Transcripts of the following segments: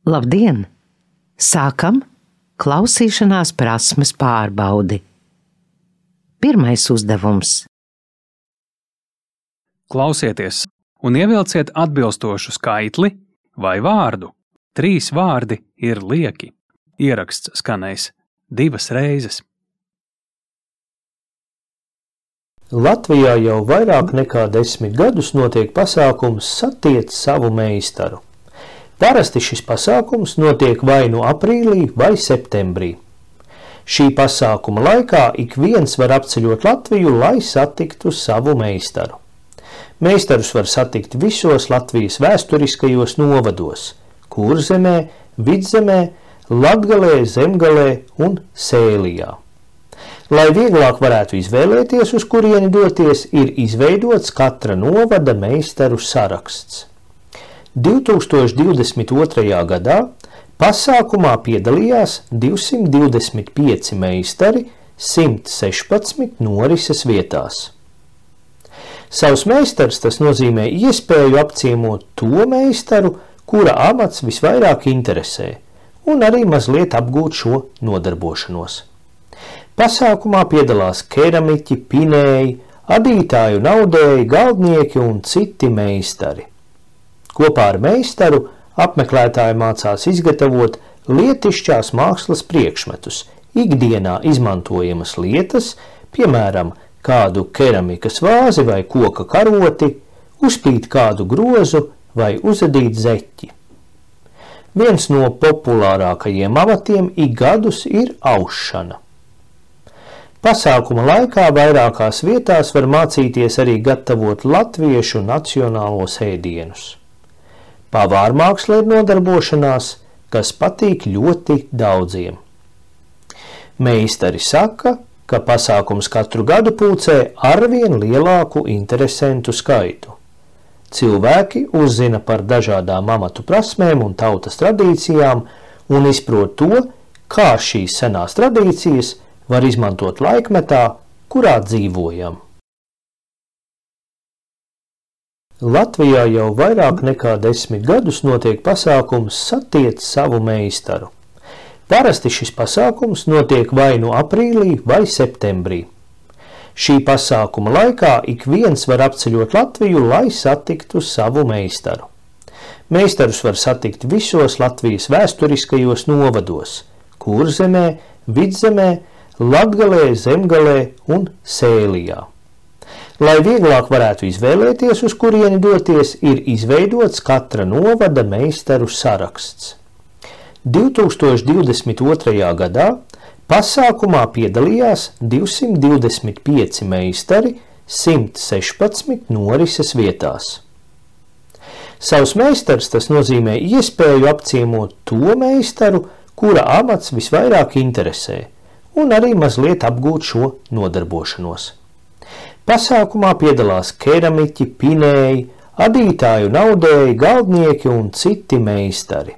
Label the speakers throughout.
Speaker 1: Labdien! Sākam klausīšanās prasmes pārbaudi. Pirmais uzdevums.
Speaker 2: Klausieties un ievilciet atbilstošu skaitli vai vārdu. 3 vārdi ir lieki. Ieraksts skanēs 2 reizes.
Speaker 3: Latvijā jau vairāk nekā 10 gadus notiek pasākums Satiec savu meistaru. Parasti šis pasākums notiek vai nu aprīlī vai septembrī. Šī pasākuma laikā ik viens var apceļot Latviju, lai satiktu savu meistaru. Meistarus var satikt visos Latvijas vēsturiskajos novados – Kurzemē, Vidzemē, Latgalē, Zemgalē un Sēlijā. Lai vieglāk varētu izvēlēties, uz kurieni doties, ir izveidots katra novada meistaru saraksts. 2022. gadā pasākumā piedalījās 225 meistari 116 norises vietās. Savs meistars tas nozīmē iespēju apciemot to meistaru, kura amats visvairāk interesē, un arī mazliet apgūt šo nodarbošanos. Pasākumā piedalās keramiķi, pinēji, adītāju naudēji, galdnieki un citi meistari. Kopā ar meistaru apmeklētāji mācās izgatavot lietišķās mākslas priekšmetus, ikdienā izmantojamas lietas, piemēram, kādu keramikas vāzi vai koka karoti, uzpīt kādu grozu vai uzadīt zeķi. Viens no populārākajiem amatiem ik gadus ir aušana. Pasākuma laikā vairākās vietās var mācīties arī gatavot latviešu nacionālos ēdienus. Pavārmāksla ir nodarbošanās, kas patīk ļoti daudziem. Meistari saka, ka pasākums katru gadu pulcē arvien lielāku interesentu skaitu. Cilvēki uzzina par dažādām amatu prasmēm un tautas tradīcijām un izprot to, kā šīs senās tradīcijas var izmantot laikmetā, kurā dzīvojam. Latvijā jau vairāk nekā 10 gadus notiek pasākums Satiec savu meistaru. Parasti šis pasākums notiek vai nu aprīlī vai septembrī. Šī pasākuma laikā ik viens var apceļot Latviju, lai satiktu savu meistaru. Meistarus var satikt visos Latvijas vēsturiskajos novados – Kurzemē, Vidzemē, Latgalē, Zemgalē un Sēlijā. Lai vieglāk varētu izvēlēties, uz kurieni doties, ir izveidots katra novada meistaru saraksts. 2022. gadā pasākumā piedalījās 225 meistari 116 norises vietās. Savs meistars tas nozīmē iespēju apciemot to meistaru, kura amats visvairāk interesē, un arī mazliet apgūt šo nodarbošanos. Pasākumā piedalās keramiķi, pinēji, adītāju naudēji, galdnieki un citi meistari.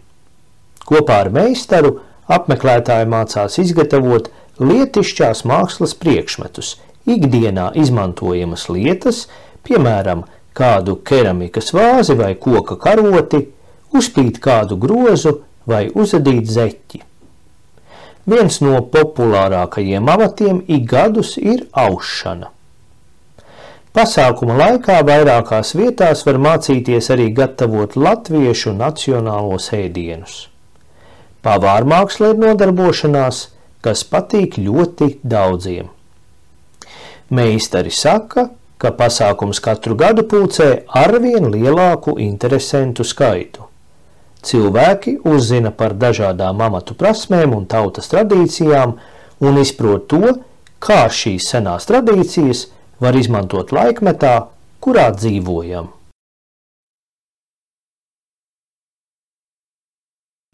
Speaker 3: Kopā ar meistaru apmeklētāji mācās izgatavot lietišķās mākslas priekšmetus, ikdienā izmantojamas lietas, piemēram, kādu keramikas vāzi vai koka karoti, uzpīt kādu grozu vai uzadīt zeķi. Viens no populārākajiem amatiem ik gadus ir aušana. Pasākuma laikā vairākās vietās var mācīties arī gatavot latviešu nacionālos ēdienus. Pavārmāksla ir nodarbošanās, kas patīk ļoti daudziem. Meistari saka, ka pasākums katru gadu pulcē arvien lielāku interesentu skaitu. Cilvēki uzzina par dažādām amatu prasmēm un tautas tradīcijām un izprot to, kā šīs senās tradīcijas var izmantot laikmetā, kurā dzīvojam.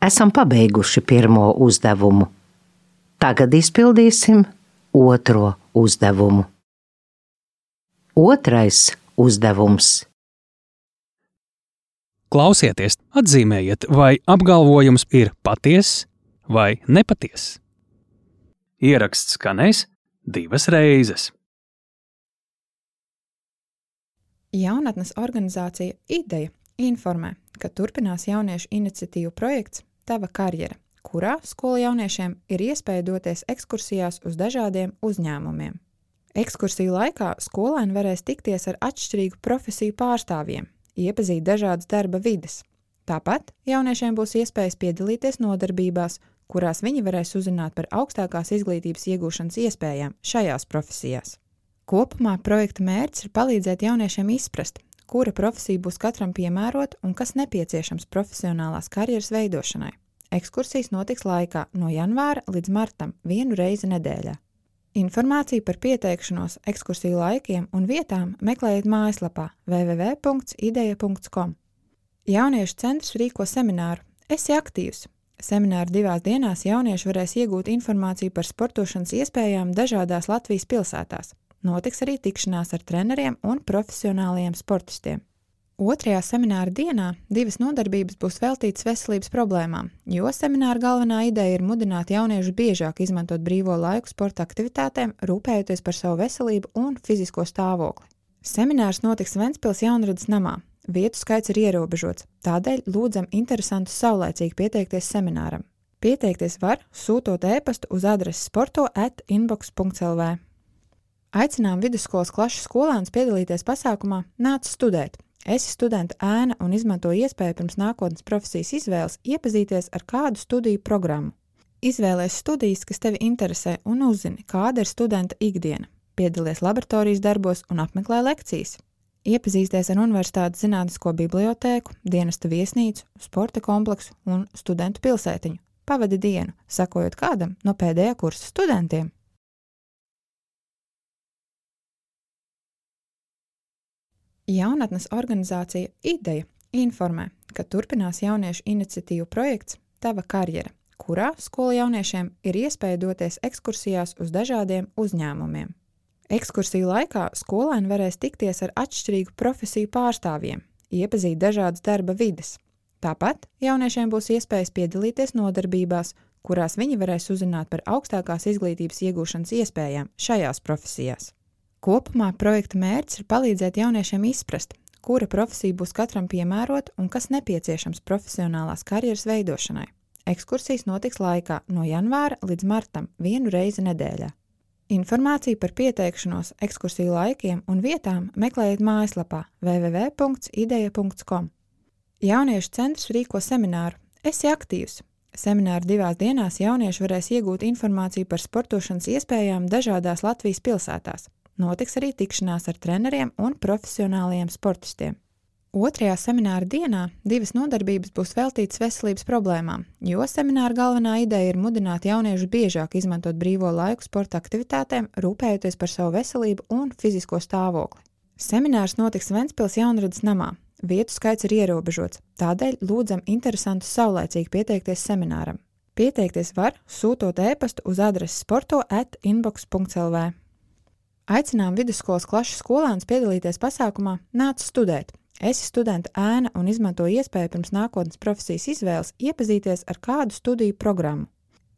Speaker 1: Esam pabeiguši pirmo uzdevumu. Tagad izpildīsim otro uzdevumu. Otrais uzdevums.
Speaker 2: Klausieties, atzīmējiet, vai apgalvojums ir patiess vai nepatiess. Ieraksts skanēs 2 reizes.
Speaker 4: Jaunatnes organizācija IDEJA informē, ka turpinās jauniešu iniciatīvu projekts Tava karjera, kurā skolu jauniešiem ir iespēja doties ekskursijās uz dažādiem uzņēmumiem. Ekskursiju laikā skolēni varēs tikties ar atšķirīgu profesiju pārstāvjiem, iepazīt dažādas darba vides. Tāpat jauniešiem būs iespējas piedalīties nodarbībās, kurās viņi varēs uzzināt par augstākās izglītības iegūšanas iespējām šajās profesijās. Kopumā projekta mērķis ir palīdzēt jauniešiem izprast, kura profesija būs katram piemērota un kas nepieciešams profesionālās karjeras veidošanai. Ekskursijas notiks laikā no janvāra līdz martam 1 reizi nedēļā. Informāciju par pieteikšanos, ekskursiju laikiem un vietām meklējiet mājaslapā www.ideja.com. Jauniešu centrs rīko semināru Esi aktīvs. Semināru 2 dienās jaunieši varēs iegūt informāciju par sportošanas iespējām dažādās Latvijas pilsētās. Notiks arī tikšanās ar treneriem un profesionāliem sportistiem. 2. semināra dienā 2 nodarbības būs veltītas veselības problēmām, jo semināra galvenā ideja ir mudināt jauniešus biežāk izmantot brīvo laiku sporta aktivitātēm, rūpējoties par savu veselību un fizisko stāvokli. Seminārs notiks Ventspils Jaunradas namā. Vietu skaits ir ierobežots, tādēļ lūdzam interesantus saulaicīgi pieteikties semināram. Pieteikties var, sūtot e-pastu uz adresi sporto@inbox.lv. Aicinām vidusskolas klašu skolēnus piedalīties pasākumā Nāc studēt. Esi studenta ēna un izmanto iespēju pirms nākotnes profesijas izvēles iepazīties ar kādu studiju programmu. Izvēlies studijas, kas tevi interesē un uzzini, kāda ir studenta ikdiena. Piedalies laboratorijas darbos un apmeklē lekcijas. Iepazīsties ar universitātes zinātnisko bibliotēku, dienesta viesnīcu, sporta kompleksu un studentu pilsētiņu. Pavadi dienu, sakojot kādam no pēdējā kursa studentiem. Jaunatnes organizācija Ideja informē, ka turpinās jauniešu iniciatīvu projekts Tava karjera, kurā skolu jauniešiem ir iespēja doties ekskursijās uz dažādiem uzņēmumiem. Ekskursiju laikā skolēni varēs tikties ar atšķirīgu profesiju pārstāvjiem, iepazīt dažādas darba vides. Tāpat jauniešiem būs iespējas piedalīties nodarbībās, kurās viņi varēs uzzināt par augstākās izglītības iegūšanas iespējām šajās profesijās. Kopumā projekta mērķis ir palīdzēt jauniešiem izprast, kura profesija būs katram piemērota un kas nepieciešams profesionālās karjeras veidošanai. Ekskursijas notiks laikā no janvāra līdz martam 1 reizi nedēļā. Informāciju par pieteikšanos, ekskursiju laikiem un vietām meklējiet mājaslapā www.ideja.com. Jauniešu centrs rīko semināru Esi aktīvs. Semināru 2 dienās jaunieši varēs iegūt informāciju par sportošanas iespējām dažādās Latvijas pilsētās. Notiks arī tikšanās ar treneriem un profesionāliem sportistiem. 2. semināra dienā 2 nodarbības būs veltītas veselības problēmām, jo semināra galvenā ideja ir mudināt jauniešus biežāk izmantot brīvo laiku sporta aktivitātēm, rūpējoties par savu veselību un fizisko stāvokli. Seminārs notiks Ventspils Jaunradas namā. Vietu skaits ir ierobežots, tādēļ lūdzam interesantus saulaicīgi pieteikties semināram. Pieteikties var, sūtot e-pastu uz adresi sporto@inbox.lv. Aicinām vidusskolas klašu skolēnus piedalīties pasākumā Nāc studēt. Esi studenta ēna un izmanto iespēju pirms nākotnes profesijas izvēles iepazīties ar kādu studiju programmu.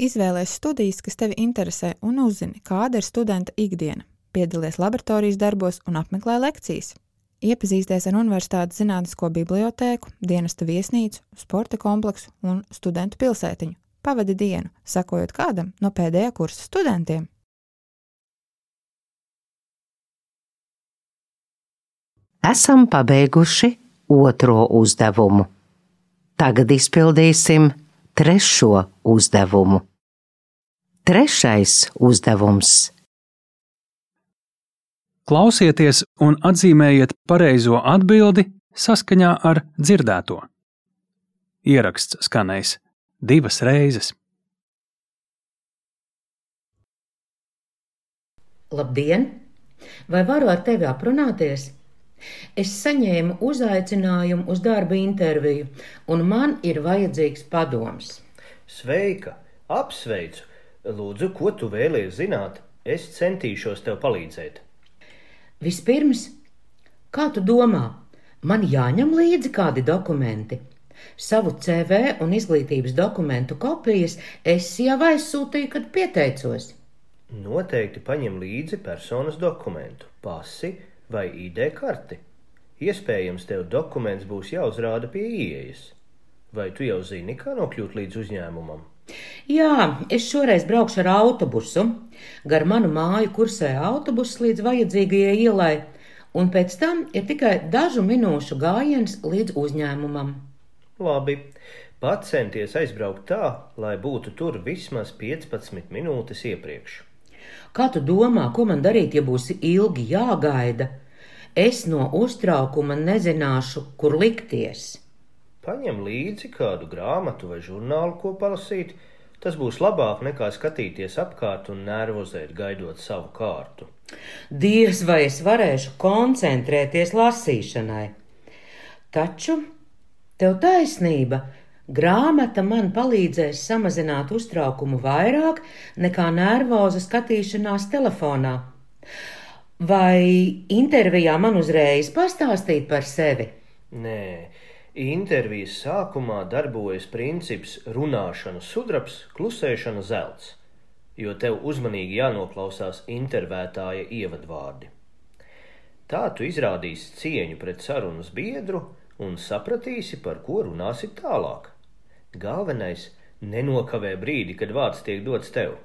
Speaker 4: Izvēlies studijas, kas tevi interesē un uzzini, kāda ir studenta ikdiena. Piedalies laboratorijas darbos un apmeklē lekcijas. Iepazīsties ar universitātes zinātnisko bibliotēku, dienesta viesnīcu, sporta kompleksu un studentu pilsētiņu. Pavadi dienu, sakojot kādam no pēdējā kursa studentiem.
Speaker 1: Esam pabeiguši 2. uzdevumu. Tagad izpildīsim 3. uzdevumu. 3. uzdevums.
Speaker 2: Klausieties un atzīmējiet pareizo atbildi saskaņā ar dzirdēto. Ieraksts skanēs 2 reizes.
Speaker 5: Labdien! Vai varu ar tevi aprunāties? Es saņēmu uzaicinājumu uz darba interviju, un man ir vajadzīgs padoms.
Speaker 3: Sveika! Apsveicu! Lūdzu, ko tu vēlies zināt? Es centīšos tev palīdzēt.
Speaker 5: Vispirms, kā tu domā, man jāņem līdzi kādi dokumenti? Savu CV un izglītības dokumentu kopijas es jau aizsūtīju, kad pieteicos.
Speaker 3: Noteikti paņem līdzi personas dokumentu, pasi vai ID karti. Iespējams, tev dokuments būs jāuzrāda pie ieejas. Vai tu jau zini, kā nokļūt līdz uzņēmumam?
Speaker 5: Jā, es šoreiz braukšu ar autobusu. Gar manu māju kursē autobuss līdz vajadzīgajai ielai, un pēc tam ir tikai dažu minūšu gājiens līdz uzņēmumam.
Speaker 3: Labi, pacenties aizbraukt tā, lai būtu tur vismaz 15 minūtes iepriekš.
Speaker 5: Kā tu domā, ko man darīt, ja būs ilgi jāgaida? Es no uztraukuma nezināšu, kur likties.
Speaker 3: Paņem līdzi kādu grāmatu vai žurnālu, ko palasīt. Tas būs labāk nekā skatīties apkārt un nervozēt, gaidot savu kārtu.
Speaker 5: Diez vai es varēšu koncentrēties lasīšanai. Taču tev taisnība, grāmata man palīdzēs samazināt uztraukumu vairāk nekā nervoza skatīšanās telefonā. Vai intervijā man uzreiz pastāstīt par sevi?
Speaker 3: Nē. Intervijas sākumā darbojas princips runāšana sudrabs, klusēšana zelts, jo tev uzmanīgi jānoklausās intervētāja ievadvārdi. Tā tu izrādīsi cieņu pret sarunas biedru un sapratīsi, par ko runāsi tālāk. Galvenais – nenokavē brīdi, kad vārds tiek dots tev.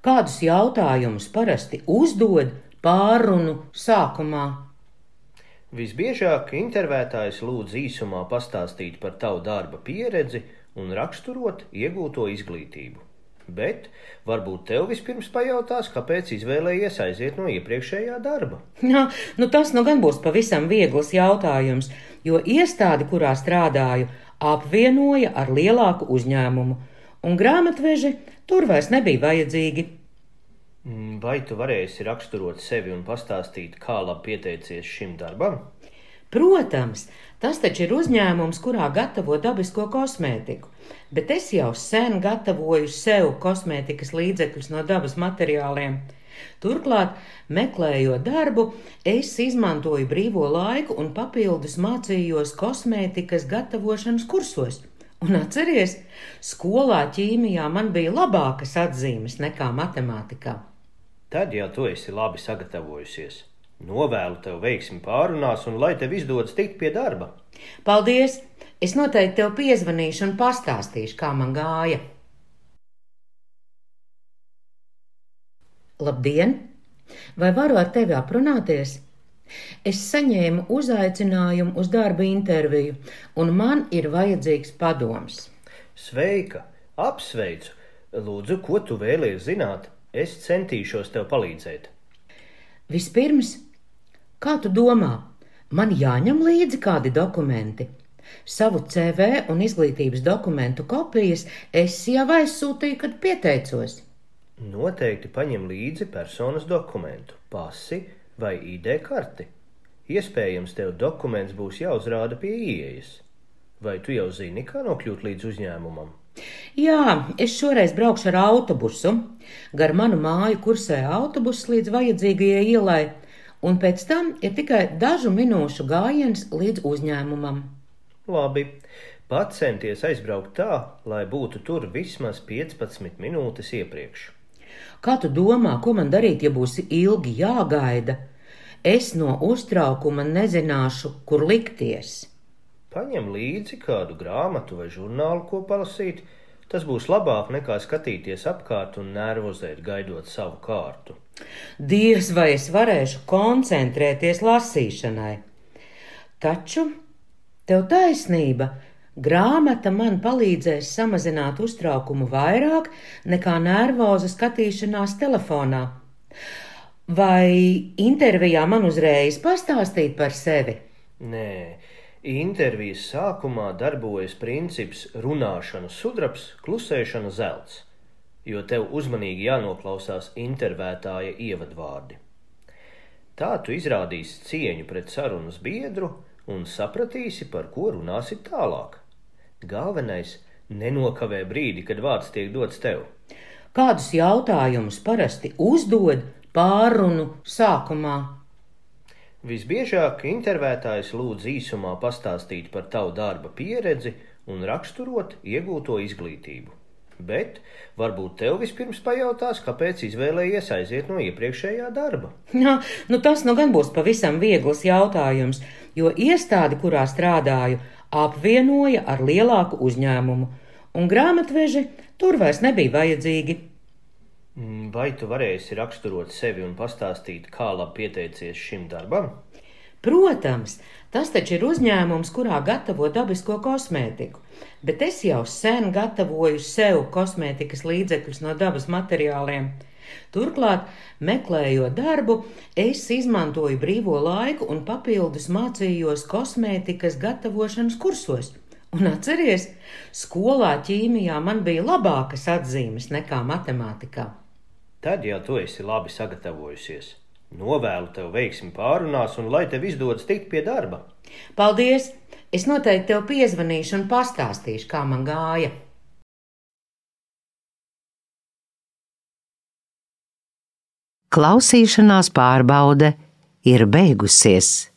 Speaker 5: Kādus jautājumus parasti uzdod pārrunu sākumā?
Speaker 3: Visbiežāk intervētājs lūdz īsumā pastāstīt par tavu darba pieredzi un raksturot iegūto izglītību. Bet varbūt tev vispirms pajautās, kāpēc izvēlējies aiziet no iepriekšējā darba.
Speaker 5: Jā, tas gan būs pavisam viegls jautājums, jo iestādi, kurā strādāju, apvienoja ar lielāku uzņēmumu, un grāmatveži tur vairs nebija vajadzīgi.
Speaker 3: Vai tu varēsi raksturot sevi un pastāstīt, kā labi pieteicies šim darbam?
Speaker 5: Protams, tas taču ir uzņēmums, kurā gatavo dabisko kosmētiku, bet es jau sen gatavoju sev kosmētikas līdzekļus no dabas materiāliem. Turklāt, meklējot darbu, es izmantoju brīvo laiku un papildus mācījos kosmētikas gatavošanas kursos. Un atceries, skolā ķīmijā man bija labākas atzīmes nekā matemātikā.
Speaker 3: Tad jau tu esi labi sagatavojusies. Novēlu tev veiksmi pārunās un lai tev izdodas tikt pie darba.
Speaker 5: Paldies! Es noteikti tev piezvanīšu un pastāstīšu, kā man gāja. Labdien! Vai varu ar tevi aprunāties? Es saņēmu uzaicinājumu uz darba interviju, un man ir vajadzīgs padoms.
Speaker 3: Sveika! Apsveicu! Lūdzu, ko tu vēlies zināt? Es centīšos tev palīdzēt.
Speaker 5: Vispirms, kā tu domā, man jāņem līdzi kādi dokumenti? Savu CV un izglītības dokumentu kopijas es jau aizsūtīju, kad pieteicos.
Speaker 3: Noteikti paņem līdzi personas dokumentu, pasi vai ID karti. Iespējams, tev dokuments būs jāuzrāda pie ieejas. Vai tu jau zini, kā nokļūt līdz uzņēmumam?
Speaker 5: Jā, es šoreiz braukšu ar autobusu. Gar manu māju kursē autobuss līdz vajadzīgajai ielai, un pēc tam ir tikai dažu minūšu gājiens līdz uzņēmumam.
Speaker 3: Labi, pacenties aizbraukt tā, lai būtu tur vismaz 15 minūtes iepriekš.
Speaker 5: Kā tu domā, ko man darīt, ja būs ilgi jāgaida? Es no uztraukuma nezināšu, kur likties.
Speaker 3: Paņem līdzi kādu grāmatu vai žurnālu, ko palasīt. Tas būs labāk nekā skatīties apkārt un nervozēt, gaidot savu kārtu.
Speaker 5: Diez vai es varēšu koncentrēties lasīšanai. Taču tev taisnība, grāmata man palīdzēs samazināt uztraukumu vairāk nekā nervoza skatīšanās telefonā. Vai intervijā man uzreiz pastāstīt par sevi?
Speaker 3: Nē. Intervijas sākumā darbojas princips runāšana sudrabs, klusēšana zelts, jo tev uzmanīgi jānoklausās intervētāja ievadvārdi. Tā tu izrādīsi cieņu pret sarunas biedru un sapratīsi, par ko runāsi tālāk. Galvenais – nenokavē brīdi, kad vārds tiek dots tev.
Speaker 5: Kādus jautājumus parasti uzdod pārrunu sākumā?
Speaker 3: Visbiežāk intervētājs lūdz īsumā pastāstīt par tavu darba pieredzi un raksturot iegūto izglītību. Bet varbūt tev vispirms pajautās, kāpēc izvēlējies aiziet no iepriekšējā darba.
Speaker 5: Jā, tas gan būs pavisam viegls jautājums, jo iestādi, kurā strādāju, apvienoja ar lielāku uzņēmumu, un grāmatveži tur vairs nebija vajadzīgi.
Speaker 3: Vai tu varēsi raksturot sevi un pastāstīt, kā labi pieteicies šim darbam?
Speaker 5: Protams, tas taču ir uzņēmums, kurā gatavo dabisko kosmētiku, bet es jau sen gatavoju sev kosmētikas līdzekļus no dabas materiāliem. Turklāt, meklējot darbu, es izmantoju brīvo laiku un papildus mācījos kosmētikas gatavošanas kursos. Un atceries, skolā ķīmijā man bija labākas atzīmes nekā matemātikā.
Speaker 3: Tad jau tu esi labi sagatavojusies. Novēlu tev veiksmi pārunās un lai tev izdodas tikt pie darba.
Speaker 5: Paldies! Es noteikti tev piezvanīšu un pastāstīšu, kā man gāja.
Speaker 1: Klausīšanās pārbaude ir beigusies.